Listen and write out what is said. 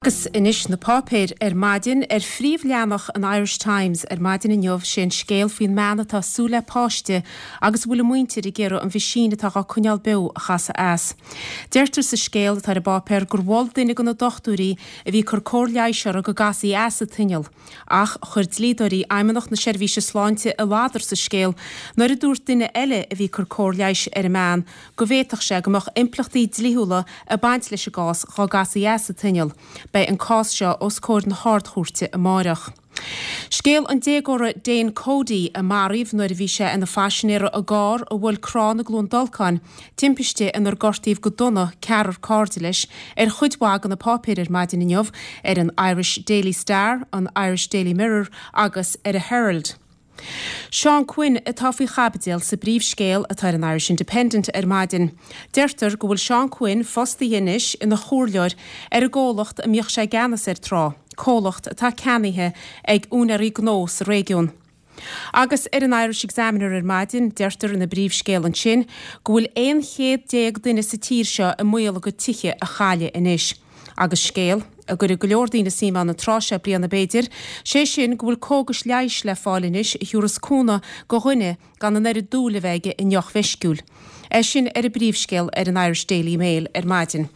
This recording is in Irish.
Agus anois na páipéir ar maidin. Ar phríomhleathanach an Irish Times ar maidin inniu, sé an scéal faoin mbean atá ag súil le páiste agus a bhfuil a muintir ag iarraidh an mheaisín atá dhá coinneáil beo a chasadh as. Deirtear sa scéal atá ar an bpáipéar gur mhol duine de na dochtúirí a bhí ag cur cóir leighis uirthi go gcasfaí as an t-inneall. Ach chuir dlíodóirí Fheidhmeannacht na Seirbhíse Sláinte i ladar sa scéal nuair a dúirt duine eile a bhí ag cur cóir leighis ar an mbean go bhféadfadh sé go mbeadh impleachtaí dlíthiúla ag baint leis an gcás dhá gcasfaí as an t-inneall. Beidh an cás seo os comhair na hArd-Chúirte amáireach. Scéal an déagóra Dane Cody a maraíodh nuair a bhí sé ina phaisinéara i gcarr a bhuail crann i gCluain Dolcáin, timpiste inar gortaíodh go dona ceathrar cairde leis, ar chuid mhaith de na páipéir ar maidin inniu, ar an Irish Daily Star, an Irish Daily Mirror agus ar an Herald. Seán Quinn atá faoi chaibidil sa bpríomhscéal atá ar an Irish Independent ar maidin. Deirtear go bhfuil Seán Quinn fostaithe anois ina chomhairleoir ar an gcomhlacht a mbíodh sé i gceannas air tráth, comhlacht atá ceannaithe ag úinéirí gnó sa réigiún. Agus ar an Irish Examiner ar maidin, deirtear ina bpríomhscéal ansin go bhfuil 11 chéad duine sa tír seo i mbaol a gcuid tithe a chailleadh anois. Agus scéal a gcuirfidh go leor daoine suim ann an tráth seo bliana b'fhéidir, sé sin go bhfuil cógais leighis le fáil anois a thiúrfas cúnamh go dhuine gan an oiread dúil a bheith aige i ndeoch mheisciúil. É sin ar an bpríomhscéal ar an Irish Daily Mail ar maidin.